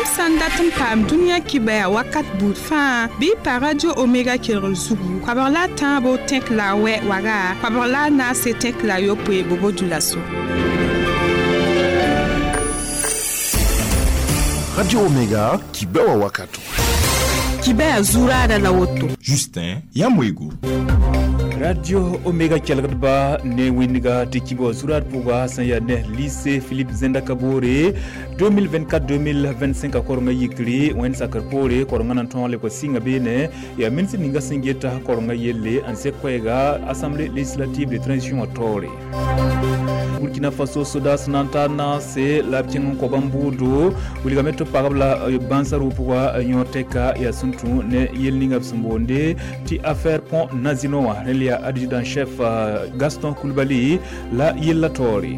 Yãmb sã n dat n paam dũniyã kibɛa wakat buud fãa, bɩ y pa Radio Omega kelgr zugu, 13 tẽk la a wɛ waga, 14 tẽk la yopoe Bobo Dioulasso. Radio Omega, kibɛwa wakato. Kibɛa zuraada la woto. Justin Yamwego. Radio Omega kelgdba ne wẽndga tɩ kibã zurad pʋga sẽn yaa ne Lycée Philippe Zenda Kabore 2024-2025 a korengã yikre wẽnd sakr poore korengã na n tõog lebg sɩnga beene yaa ministr ninga sẽn geta korengã yelle n sek koɛɛga Assemblée législative de transition wã taoore. Burkina Faso sodaas na n tar naase la b kẽng n kõ bãmb bʋʋdo wilgame tɩ pagb la bãnsa rʋʋ pʋga yõ tɛka yaa sẽn tũ ne yel ninga b sẽn boonde tɩ affaire pont Nazino wã rẽnd yaa adjudant chef Gaston Coulibaly la yella taoore.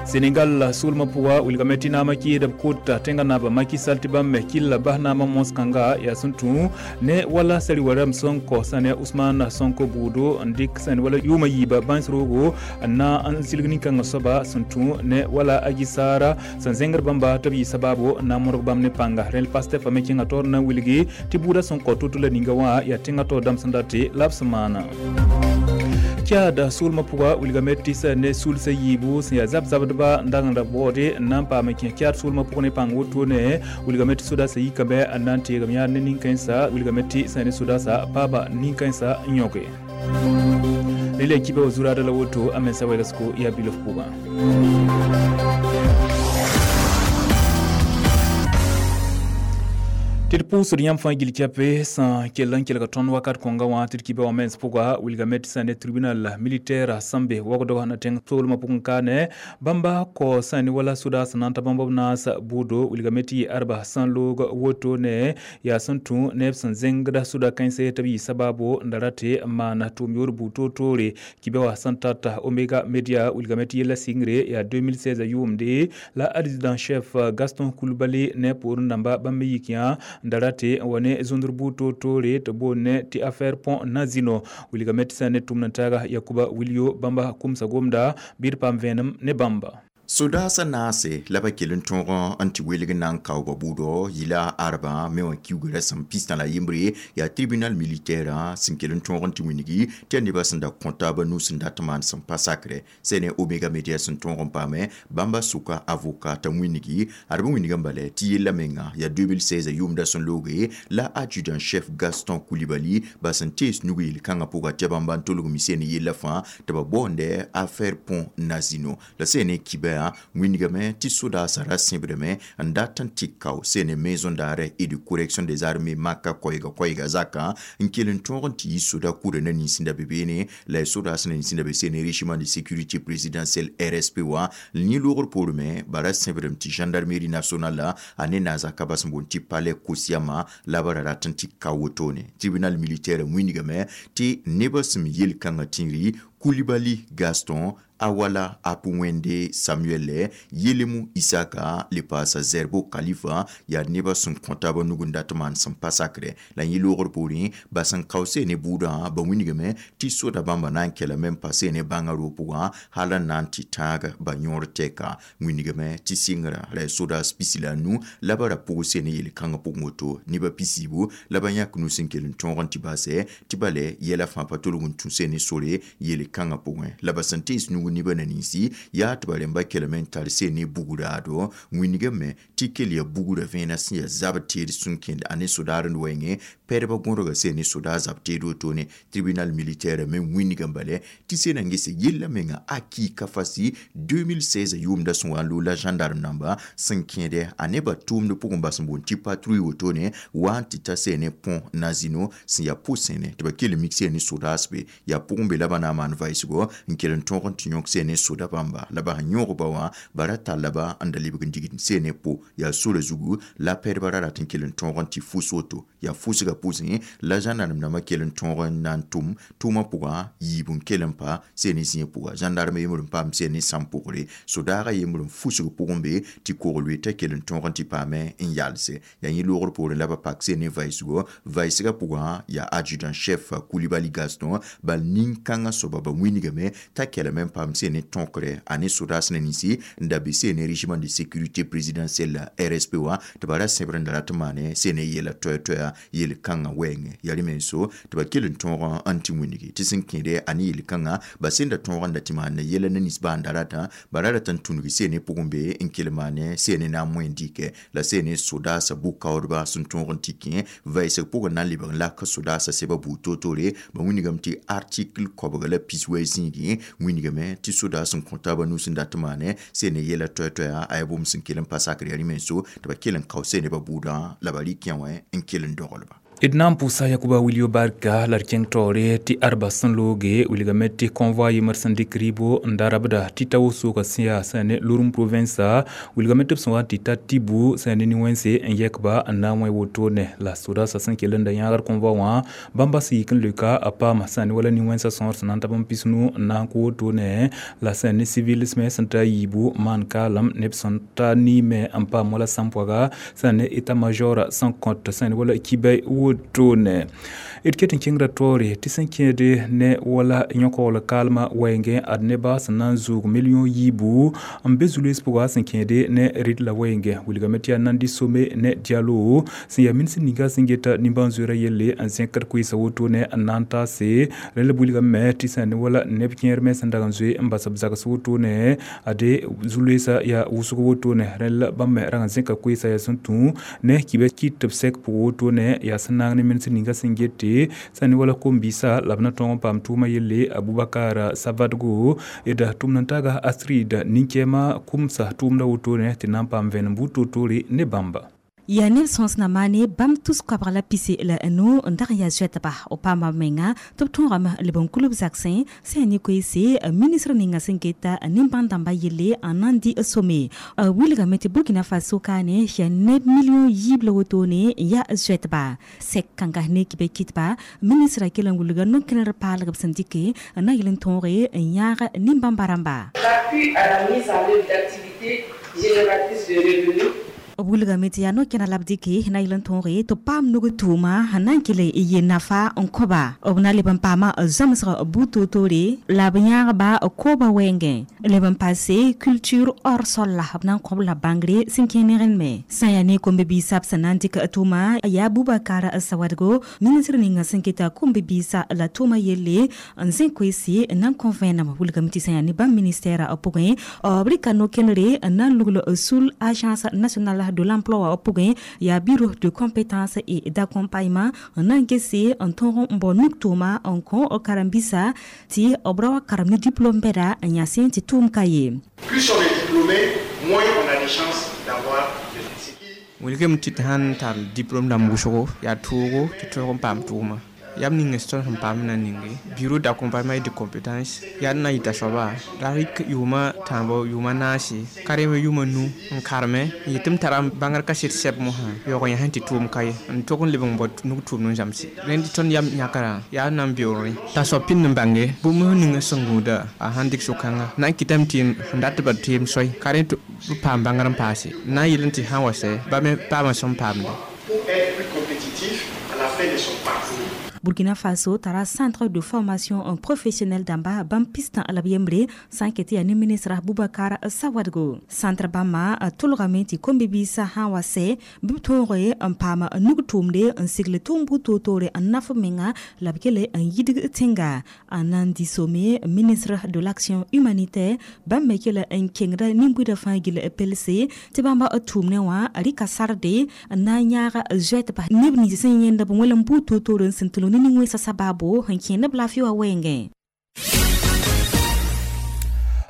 Senegal soolmã pʋga wilgame tɩ naamã kɩɩd b kota tẽngã naaba Macky Sall tɩ bãmb me kɩlla bas naamã mons-kãnga yaa sẽn tũ ne wala sari-warame sẽn kõ sã ne Ousmane Sonko buudo n dɩk sẽn wala yʋʋmã yiiba bãns roogo n na n silg nin-kãngã soaba sẽn tũ ne wala Adji Sarr sẽn zẽngd bãmba tɩ b yɩ sabaabo n na n modg bãmb ne pãnga. Rẽnd Pastef me kẽngã taoor na n wilgi tɩ buudã sẽn kõ to-to la ninga wã yaa tẽngã taoor dãmb sẽn date la b sẽn maana. Tchad soolmã pʋga wilgame tɩ sã ne sulsã yiibu sẽn yaa zab-zabdba n dag n ra baoode n na n paam n kẽ Tchad soolmã pʋg ne pãng wotone wilgame tɩ sodaasã yikame n na n teegem yãad ne nin-kãensã wilgame tɩ sã ne sodaasã paaba nin-kãensã n yõke. Rẽla kiba wa zuraada la woto a mensa wɛlsgo yaa bilf pʋgã. Tɩ d pʋʋsd yãmb fãa gil kɛpe sẽn kell n kelg tõnd wakat kõnga wã tɩ d kiba wã mens pʋga wilgame tɩ sã ne tribunal militaire sẽn be wagdg na tẽng soolmã pʋgẽ kaane bãmba kɔ sã ne wala sodaas na n ta bãmb b naas bʋʋdo wilgame tɩ yɩ arba sẽn loog woto ne yaa sẽn tũ neb sẽn zẽngda soda-kãense tɩ b yɩ sabaabo n da ra tɩ n maan tʋʋm yoor buud toor-toore kiba wã sẽn tata Omega Media wilgame tɩ yella sɩngre yaa 2016 yʋʋmde la adjudant chef Gaston Coulibaly ne poorẽ dãmba bãmb me yik yã n da ra tɩ n wa ne zũndr buud toor-toore tɩ boond ne tɩ affaire pont Nazino wilgame tɩ sã ne tʋmd n taaga Yakuba Wilio bãmba kʋmsa gomda bɩ d paam vẽenem ne bãmba. Sodaasã naase la ba kell n tõog n tɩ welg na n kao ba bʋʋdɔ yɩla arba me wã kiugrã sẽn pistã la yembre yaa tribunal militaire sẽn kell n tõog n tɩ wĩnigi tɩ yaa nebã sẽn da kõ taabã nus n dat maan sẽn pa sakrɛ sẽn ne Omega Media sẽn tõog n paame bãmba sʋka avocat t'a wĩnigi ad b wĩnigã bala tɩ yella menga yaa 2016 yʋʋmda sẽn looge la adjudant chef Gaston Coulibaly ba sẽn tees nug yel-kãngã pʋga tɩ bãmba n tolg mi sẽn yella fãa tɩ ba baoonde affaire pont Nazino la sẽn ne kibɛa wĩnigame tɩ sodaasã ra sẽbdame n dat n tɩ kao sẽn ne maison d'arrêt et de correction des armées maka koɛɛga koɛɛga zakã n kell n tõog n tɩ yɩ soda kʋra na nins n da be beene la y sodaas na nins n da be sẽn ne régiment de sécurité présidentielle RSP wã n yẽ loogr poorẽ me ba ra sẽbdame tɩ gendarmerie nationale a ne naazaka bas n boond tɩ palais Kosiama la ba ra rat n tɩ ka wotone. Tribunal militaire wĩnigame tɩ nebã sẽn yel-kãngã tĩngri Coulibaly Gaston, Awala Apuwende Samuel, Yelemu Isaka, le paasa Zerbo Khalifa, yaa nebã sẽn kõ taabã nug n dat maan sẽn pa sakrɛ la yẽ loogr poorẽ ba sẽn kaoose ne buudã ba wĩnigame tɩ soda bãmba na n kelame n pa ne bãngã roog pʋgã hal n na n tɩ tãag ba yõor tɛka wĩnigame tɩ sɩngrã la y sodaas pisi la a nu la ba ra pʋgse ne yel-kãngã pʋgẽ woto nebã pisiibu la ba yãk nus n kell n tõog n tɩ basɛ tɩ bale yɛla fãa pa tolg n tũ ne sore yel-kãngã pʋgẽ la ba sẽn tees nug nebã na ninsi yaa tɩ ba rẽmba kelme n tar seen ne bugraado wĩnigame tɩ kell yaa bugrã vẽenã sẽn yaa zab teed sẽn kẽnd a ne sodaar n wɛɛngẽ pɛdbã gõdga seen ne sodaar zab teed wotone. Tribunal militaire me wĩnigã bale tɩ sẽn n gese yella menga a ki ka fasi 2016 yʋʋmda sẽn wa n loog la gendarme namba sẽn kẽede a nebã tʋʋmd pʋgẽ bas n boond tɩ patrouille wotone wa n tɩ ta seen ne pont Nazino sẽn yaa pʋ-sẽne tɩ ba kell n mik seen ne sodaas be yaa pʋgẽ be la ba na n maan vaɩsgo n kell n tõog n tɩ yõk seen ne soda bãmba la ba sẽn yõog ba wã ba ra talla ba n da lebg n digd seen ne po yaa sora zugu la pɛdbã ra rat n kell n tõog n tɩ fus woto yaa fusgã pʋsẽ la gendarme dãmbã kell n tõog n na n tʋm tʋʋmã pʋgã yiib n kell n pa seen ne zĩig pʋga gendarme yembr n paam seen ne sãm pʋgre sodaagã yembr n fusg pʋgẽ be tɩ kogl t'a kell n tõog n tɩ paame n yalse yaa yẽ loogr poorẽ la ba pak seen ne vaɩsgo vaɩsgã pʋgã yaa adjudant chef Coulibaly Gaston bal nin-kãngã soaba ba wĩnigame t'a kelame n paam sẽn ne tõkre a ne sodaas ne ninsi n da be sẽn ne régiment de sécurité présidentielle la RSP wã tɩ ba ra sẽbr n da rat n maane sẽn ne yɛla toɛ-toɛa yel-kãngã wɛɛngẽ. Yaa rẽ menso tɩ ba kell n tõog n tɩ wĩnigi tɩ sẽn kẽede a ne yel-kãngã ba sẽn da tõog n da tɩ maanda yɛla ne nins baa n da ratã ba ra rat n tũnug sẽn ne pʋgẽ be n kell maane sẽn ne na n moẽ dɩkɛ la sẽn ne sodaasã bʋ-kaoodba sẽn tõog n tɩ kẽ vɛɛsg pʋgẽ na n lebg n lak sodaasã sɛba buud toor-toore ba wĩnigame tɩ article koabga la piswɛ zĩigẽ wĩnigame tɩ sodaas sẽn kõ taabã nus n dat n maane sẽn ne yɛla toɛ-toɛa a yaa bũmb sẽn kell n pa sakr yaa rẽ menso tɩ ba kell n kao sẽn nebã buudã la ba rɩk yã wã n kell n doglba. D na n pʋʋsa Yakuba Wilio barka la d kẽng taoore tɩ arba sẽn looge wilgame tɩ convoi yembr sẽn dɩk rɩɩbo n da rabda tɩ ta wʋsʋʋga sẽn yaa sẽn ne Loroum province wilgame tɩ b sẽn wa n tɩ ta Tibu sẽn ne nin-wẽnse n yɛkba n na n wẽ wotone la sodaasã sẽn kell n da yãagd convoi wã bãmba sẽn yik n leoka a paama sẽn ne wala nin-wẽnsã sõor sẽn na n ta bãmb pisnu n na n kʋ wotone la sẽn ne civils me sẽn ta yiibu maan kaalem neb sẽn ta niime n paam wala sãmpoaga sẽn ne état major sẽn kõt sẽn ne wala kibɛ wotone. D ket n kẽngra taoore tɩ sẽn kẽede ne wala yõkogl kaalmã wɛɛngẽ ad nebã sẽn na n zʋʋg million yiibu n be zu-loees pʋga sẽn kẽede ne rɩd la wɛɛngẽ wilgame tɩ yaa Nandi Some ne Diallo sẽn yaa minis ninga sẽn geta nimbãan-zoeerã yelle n zẽkd koeesã wotone n na n taase rẽ la b wilgame me tɩ sẽn ne wala neb kẽer me sẽn dag n zoe n bas b zags wotone ade zu-loeesã yaa wʋsg wotone rẽ la bãmb me rag n zẽka koeesã yaa sẽn tũ ne kibɛ kɩt tɩ b sɛk pʋg wotone yaa sẽn naag ne minis ninga sẽn gete sẽn ne wala kom-biisã la b na tõog n paam tʋʋmã yelle Abubakar Savadgo d tʋmd n taaga Astrid nin-kɛɛma kʋmsa tʋʋmda wotone tɩ na n paam vẽenem buud toor-toore ne bãmba. Yaa neb sõsna maane bãmb tus koabg la pise la nu n dag n yaa zoɛtba b paama b menga tɩ b tõogame leb n kulb zagsẽ sẽn yaa ne koeese ministr ninga sẽn geta nin-bãn-dãmbã yelle n na n dɩ some wilgame tɩ Burkina Faso kaane yaa neb million yiib la wotone n yaa zoɛtba sɛk kãnga ne kibɛ kɩtba ministrã kell n wilga no-kẽner paalg b sẽn dɩke n na yel n tõoge n yãag nin-bãmba rãmba. L'appui à la mise en œuvre d'activités génératrices de revenus B wilgame tɩ yaa no-kẽna la b dɩke na yel n tõoge tɩ b paam nug tʋʋma sẽn na n kell n yel nafa n kõba b na leb n paama zãmsg buud toor-toore la b yãagba koobã wɛɛngẽ leb n paase culture hors sol la b na n kõb la bãngre sẽn kẽ ne sã n yaa ne kom-bi-biisã b sẽn na n dɩk tʋʋma yaa Bubakar Sawadgo ministr ninga sẽn keta kom-bi-biisã la tʋʋma yelle n zẽ koeese n na n kõ vẽenem wilgame tɩ sã n yaa ne bãmb ministère pʋgẽ b rɩka no-kẽnere n na n lugl sul agence nationale de l'emploi pʋgẽ yaa bureau de compétences et d'accompagnement n na n gese n tõog n bao nug tʋʋma n kõ karen-biisã tɩ b ra wa karem ne diplôme bɛda n yã sẽn tɩ tʋʋm ka ye. Plus on est diplômé, moins on a des chances d'avoir des Wilgame tɩ tɩ sãn tar diplôme dãmb wʋsgo yaa toogo tɩ tõog n paam tʋʋma yam ning tõnd sẽn paam na ninge bureau d'accompagnement et de compétences yaa d na yita soaba la rɩk yʋʋma tãabo yʋʋma naase karem yʋʋma nu n karme n yetɩ m tara bãngr kaset sɛb mosã yaoog yã sẽn tɩ tʋʋm ka ye n tog n leb n bao nug tʋʋmd n zãmse rẽnd tõnd yam yãkrã yaa n na n beoogre t'a soab pĩnd n bãnge bũmb ning sẽn gũuda a sãn dɩk so-kãnga na n kɩtame tɩ sẽn dat b teem soay ka rẽ tɩ b paam bãngr n paase na n yel n tɩ sã n wa sɛ ba me paamã sẽn paamde. Pour être plus compétitif à la fin de son parcours. Burkina Faso tara centre de formation professionnelle dãmba bãmb pistã la b yembre sã n ket yaa ne ministra Boubacar Sawadgo centre bãmba tʋlgame tɩ kom-bi-biisã sã n wa sɛ bɩ b tõoge n paam nug tʋʋmde n sigl tʋʋm buud toor-toore n naf menga la b kele n yidg tẽnga n na n dɩ some ministre de l'action humanitaire bãmb me kell n kẽngda nin-buidã fãa gill pelse tɩ bãmba tʋʋmdẽ wã rɩka sarde n na n yãag zoɛtba neb nins sẽn yẽnd b wẽlem buud toor-toore n sẽn tʋlg ne nin-wẽnsã sabaabo n kẽend b laafɩ wã wɛɛngẽ.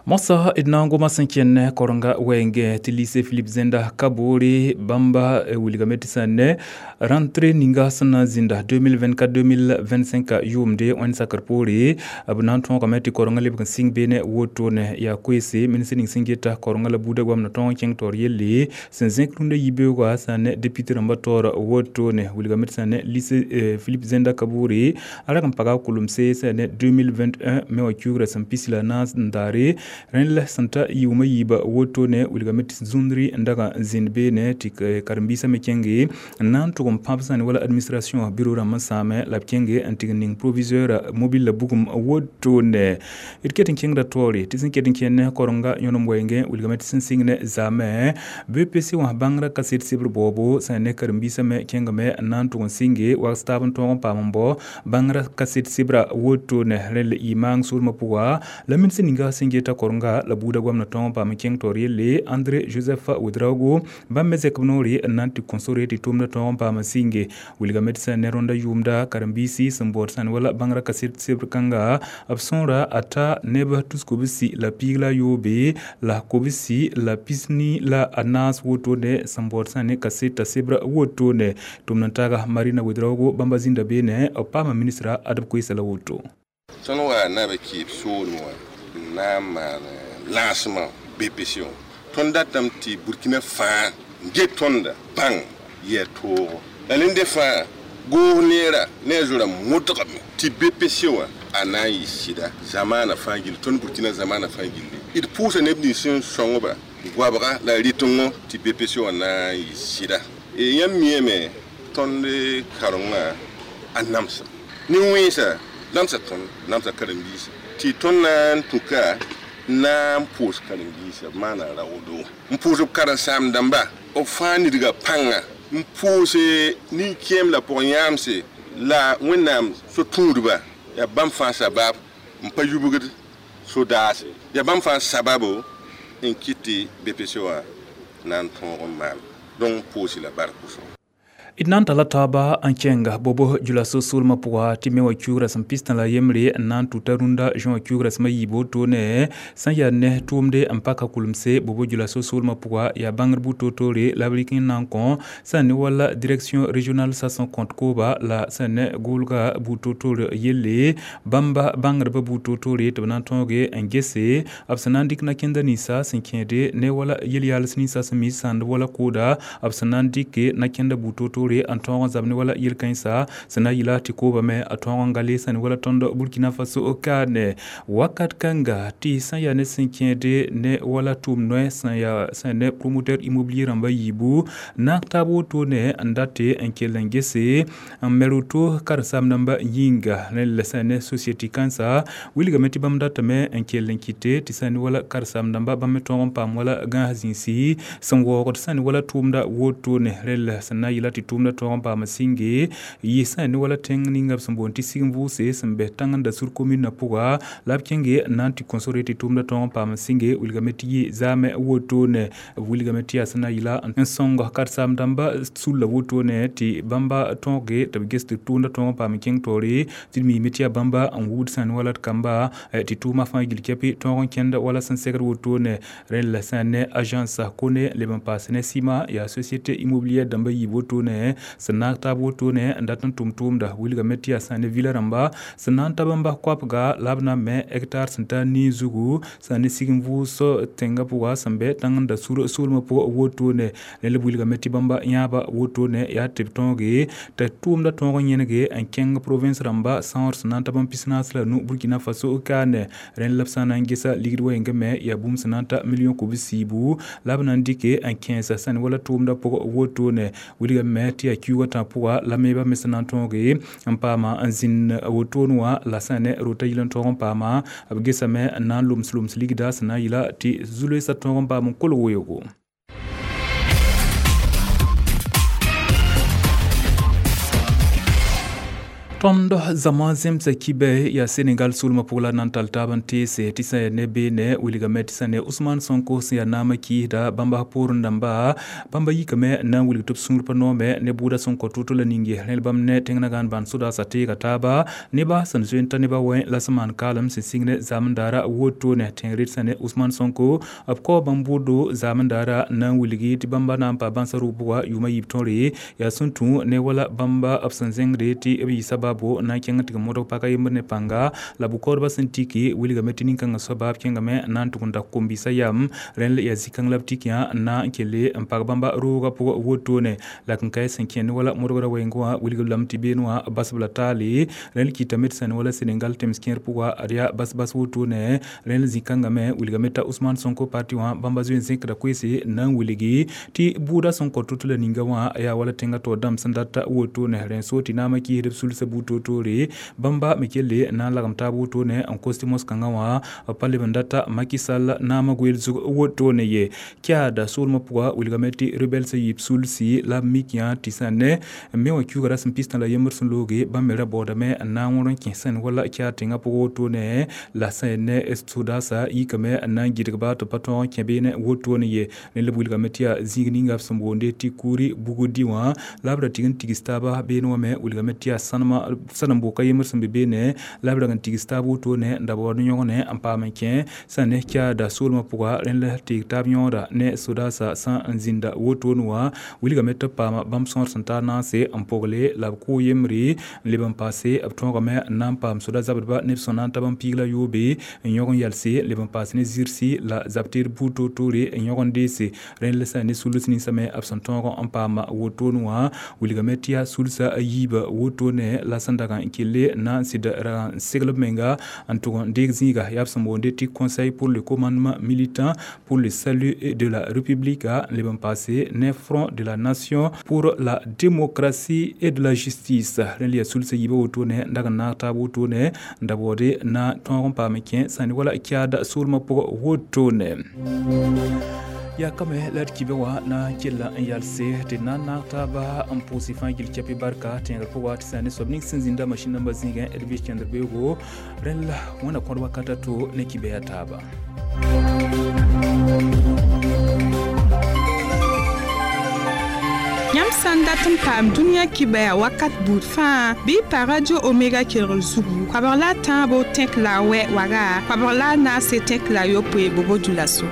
Mosa d na n goma sẽn kẽn korenga wɛɛngẽ tɩ lycée Philippe Zenda Kaboore bãmba wilgame tɩ sẽn ne rentrée ninga sẽn na n zĩnda 2024-2025 yʋʋmde wẽnd sakr poore b na n tõogame tɩ korenga lebg n sɩng beene wotone yaa koeese ministr ning sẽn geta korenga la buudã goamda tõog n kẽng taoor yelle sẽn zẽk rũndã yibeoogã sã ne député rãmbã taoor wotone wilgame tɩ sẽn ne lycée Philippe Zenda Kaboore a rag n paga kulemse sẽn ne 2021 me wã kiuugrã sẽn pis la naas n daare. Rẽnd la sẽn ta yʋʋma yiiba wotone wilgame tɩ zũndri n daga n zĩnd beene tɩ karen-biisã me kẽnge n na n tʋg n pãb sã ne wala administration bureau rãmb n sãame la b kẽnge n tɩg n ning proviseur mobile la bugum wotone. D ket n kẽngda taoore tɩ sẽn ket n kẽnd ne korenga yõnem wɛɛngẽ wilgame tɩ sẽn sɩng ne zaamẽ BPC wã bãngrã kaset sebr baoobo sã ne karen-biisã me kẽngame n na n tʋg n sɩnge wags taab n tõog n paam n bao bãngrã kaset sebra wotone. Rẽnd la y maang soolmã pʋga la ministr ninga sẽn geta korenga la buuda goamna tõog n paam n kẽng taoor yelle André Joseph Ouedraogo bãmb me zɛk b noore n na n tɩ kõ sore tɩ tʋʋmdã tõog n paam n sɩnge wilgame tɩ sã ne rõndã yʋʋmda karen-biisi sẽn baood sã ne wala bãngrã kaset sebr kãnga b sõora a ta neb tus-kobsi la piig la yoobe la kobsi la pisni la a naas wotone sẽn baood sã ne kaseta sebra wotone. Tʋmd n taaga Marina Ouedraogo bãmba zĩnda beene b paama ministra Adb Koeesa la woto. Tõnd wa na b kɩɩb soolem wã n na n maan lancement BPC wã. Tõnd datame tɩ Burkina fãa n get tõnda bãng yɛ toogo. La nende fãa goos neera ne a zo-rãmb modgame tɩ BPC wã a na n yɩ sɩda zamaana fãa gilli, tõnd Burkina zamaana fãa gilli. D pʋʋsa neb nins sẽn sõngba goabga la rɩtengõ tɩ BPC wã na n yɩ sɩda. Yãmb miame tõnd karengã a namsa. Nin-wẽnsa namsa tõnd, namsa karen-biisã tɩ tõnd na n tũka na n pʋʋs karen-biisã b maana raoodo. N pʋʋs b karen-saam-dãmba b fãa nidga pãnga n pʋʋse nin-kẽem la pʋg-yãamse la Wẽnnaam so-tũudba yaa bãmb fãa sabab n pa yubgd so-daase yaa bãmb fãa sababo n kɩt tɩ BPC wã na n tõog n maan. Donc pʋʋsi la bark wʋsgo. D na n tala taaba n kẽnga bobo djulaso soolmã pʋga tɩ me wa kiugra sẽn pistã la yembre n na n tʋta rũndã zõ wã kiugra sẽm a yiib wotone sẽn yaa ne tʋʋmde n paka kulemse bobo djulaso soolmã pʋga yaa bãngr bu-toor-toore la b rɩk n na n kõ sã ne wala direction régionale sã compte kooba la sã ne goolga bu-toor-toor yelle bãmba bãngdbã bu-toor-toore tɩ b na n tõoge n gese b sẽn na n dɩk na-kẽnda ninsã sẽn kẽede ne wala yel-yaals ninsã sẽn mi sãnd wala kooda b sẽn na n dɩke na-kẽnda bu-toor-toore n tõog n zab ne wala yel-kãensa sẽn na yɩla tɩ koobame a tõog n gale sã ne wala tõnd Burkina Faso kaane wakat kãnga tɩ sã yaa ne sẽn kẽede ne wala tʋʋm noɛ sã yaa sã ne promoteur immobilier rãmba yiibu naag taab wotone n date n kell n gese n me roto karen-saam-dãmba yĩnga rẽnd la sã ne société kãnsa wilgame tɩ bãmb datame n kell n kɩte tɩ sã ne wala karen-saam-dãmba bãmb me tõog n paam wala gãas zĩisi sẽn waoogd sã ne wala tʋʋmda wotone rẽnd la sẽn na n yɩla tɩ tʋʋmda tõog n paam sɩnge yɩ sã ne wala tẽng ninga b sẽn boond tɩ sig n vʋʋse sẽn bɛ tãng n da sur commune pʋga la b kẽnge n na n tɩ kõ sore tɩ tʋʋmda tõog n paam sɩnge wilgame tɩ yɩ zaamẽ wotone. Wilgame tɩ yaa sẽn na yɩla n sõng karen-saam-dãmba sulla wotone tɩ bãmba tõoge tɩ b ges tɩ tʋʋmda tõog n paam kẽng taoore tɩ d miime tɩ yaa bãmba n wubd sã ne wala d kamba tɩ tʋʋma fãa gil kɛpɩ tõog n kẽnd wala sẽn segd wotone. Rẽnd la sã ne agence kone leb n paas ne sima yaa société immobilière dãmba yiib wotone sẽn naag taab wotone n dat n tʋm tʋʋmda wilgame tɩ yaa sã ne vila rãmba sẽn na n ta bãmba koapga la b na n me hectare sẽn ta nii zugu sã ne sig n vʋʋs tẽngã pʋga sẽn bɛ tãng n da sur soolmã pʋgã wotone. Rẽnd la b wilgame tɩ bãmba yãaba wotone yaa tɩ b tõoge t'a tʋʋmda tõog n yẽnege n kẽng province rãmba sãoor sẽn na n ta bãmb pisnaas la nu Burkina Faso kaane. Rẽnd la b sã n na n gesa ligd wɛɛngã me yaa bũmb sẽn na n ta million kobs-siibu la b na n dɩke n kẽesa sã ne wala tʋʋmda pʋgã wotone. Wilgame tɩ yaa kiuugã tã pʋga la meebã me sẽn na n tõoge n paama n zĩnd wotone wã la sã ne rota yɩl n tõog n paama b gesame n na n loms ligda sẽn na n yɩla tɩ zu-loeesã tõog n paam n kolg weoogo. Tõnd zãma zemsa kibɛ yaa Senegal soolmã pʋg la na n tall taab n teese tɩ sã yaa ne beene wilgame tɩ sã ne Ousmane Sonko sẽn yaa naamã kɩɩsda bãmba poorẽ dãmba bãmba yikame n na n wilg tɩ b sũur pa noome ne bʋʋda sẽn kõ tʋ-tʋ la ninge rẽnd bãmb ne tẽng na gãan bãn sodaasã teega taaba nebã sẽn zoe n ta nebã wẽ la sẽn maan kaalem sẽn sɩng ne zaamendaara wotone tẽng red sã ne Ousmane Sonko b kao bãmb bʋʋdo zaamendaara n na n wilgi tɩ bãmba na n pa bãnsa rʋg pʋga yʋʋma yiib tõre yaa sẽn tũ ne wala bãmba b sẽn zẽngde tɩ b yɩ sabab sababu na n kẽng n tɩg modg paka yembr ne pãnga la bʋ-kaoodbã sẽn tiki wilgame tɩ nin-kãngã soaba b kẽngame na n tʋg n da kom-biisã yam. Rẽnd yaa zĩ-kãng la b tik yã na n kelle n pag bãmba roogã pʋgã wotone la kẽn-kaɩ sẽn kẽ ne wala modgrã wɛɛngẽ wã wilgb lame tɩ beene wã basb la taale. Rẽnd kɩtame tɩ sẽn wala Senegal tẽms kẽer pʋga ad yaa bas-bas wotone. Rẽnd zĩ-kãngã me wilgame t'a Ousmane Sonko parti wã bãmba zoe n zẽkda koeese na n wilgi tɩ bʋʋda sẽn kõ to-to la ninga wã yaa wala tẽngã taoor dãmb sẽn dat wotone. Rẽn so tɩ naamã kiisd b sulsã buud toor-toore bãmba me kelle na n lagem taab wotone n kos tɩ mos-kãngã wã b pa leb n data Macky Sall naamã goeel zug wotone ye. Kiada soolmã pʋga wilgame tɩ rebɛlsã yiib sulsi la b mik yã tɩ sã ne me wã kiuga rasem pistã la yembr sẽn looge bãmb me ra baoodame n na n wõr n kẽ sẽn wala kiad tẽngã pʋgã wotone la sẽn ne sodasa yikame n na n gɩdgba tɩ pa tõog n kẽ beene wotone ye. Rẽnd la b wilgame tɩ yaa zĩig ninga b sẽn boonde tɩ kuuri bugd wã la b ra tɩg n tigs taaba beene wã me wilgame tɩ yaa sãnem-boka yembr sẽn be beene la b rag n tigs taab wotone n da baood yõgne n paam n kẽ sã ne kiada soolmã pʋga. Rẽnd la teeg taab yõoda ne sodasa sã n zĩnda wotone wã wilgame tɩ b paama bãmb sõor sẽn tar naase n pogle la b kʋʋ yembre n leb n paase b tõogame n na n paam soda zabdba neb sẽn na n ta bãmb piig la yoobe n yõg n yalse leb n paas ne zirsi la zab-teed buud toor-toore n yõg n deese. Rẽnd la sã ne sulus ninsã me b sẽn tõog n paama wotone wã wilgame tɩ yaa sulsã a yiibã wotone la sẽn dag n kelle na n sɩd rag n segl b menga n tʋg n deeg zĩiga yaa b sẽn boonde tɩ Conseil pour le commandement militant pour le salut de la République n leb n paase ne Front de la Nation pour la démocratie et de la justice. Rẽnd yaa sulsã yiibã wotone n dag n naag taab wotone n da baoode na tõog n paam n kẽ sã ne wala kiada soolmã pʋgã wotone. Yaa kame la d kibe wã na n kella n yalse tɩ na n naag taaba n pʋʋs fãa gill kɛpɩ barka tẽegr pʋga tɩ sã ne soab ning sẽn zĩnda masĩn nambã zĩigẽ d vɩs kẽndr beoogo. Rẽnd la wẽna kõd wakat a to ne kibe yaa taaba. Yãmb sã n dat n paam dũniyã kibaya wakat buud fãa bɩ y pa Radio Omega kelgr zugu koabg la a tãabo tẽk la a wɛ waga koabg la a naase tẽk la a yopoe bobo dũlaso.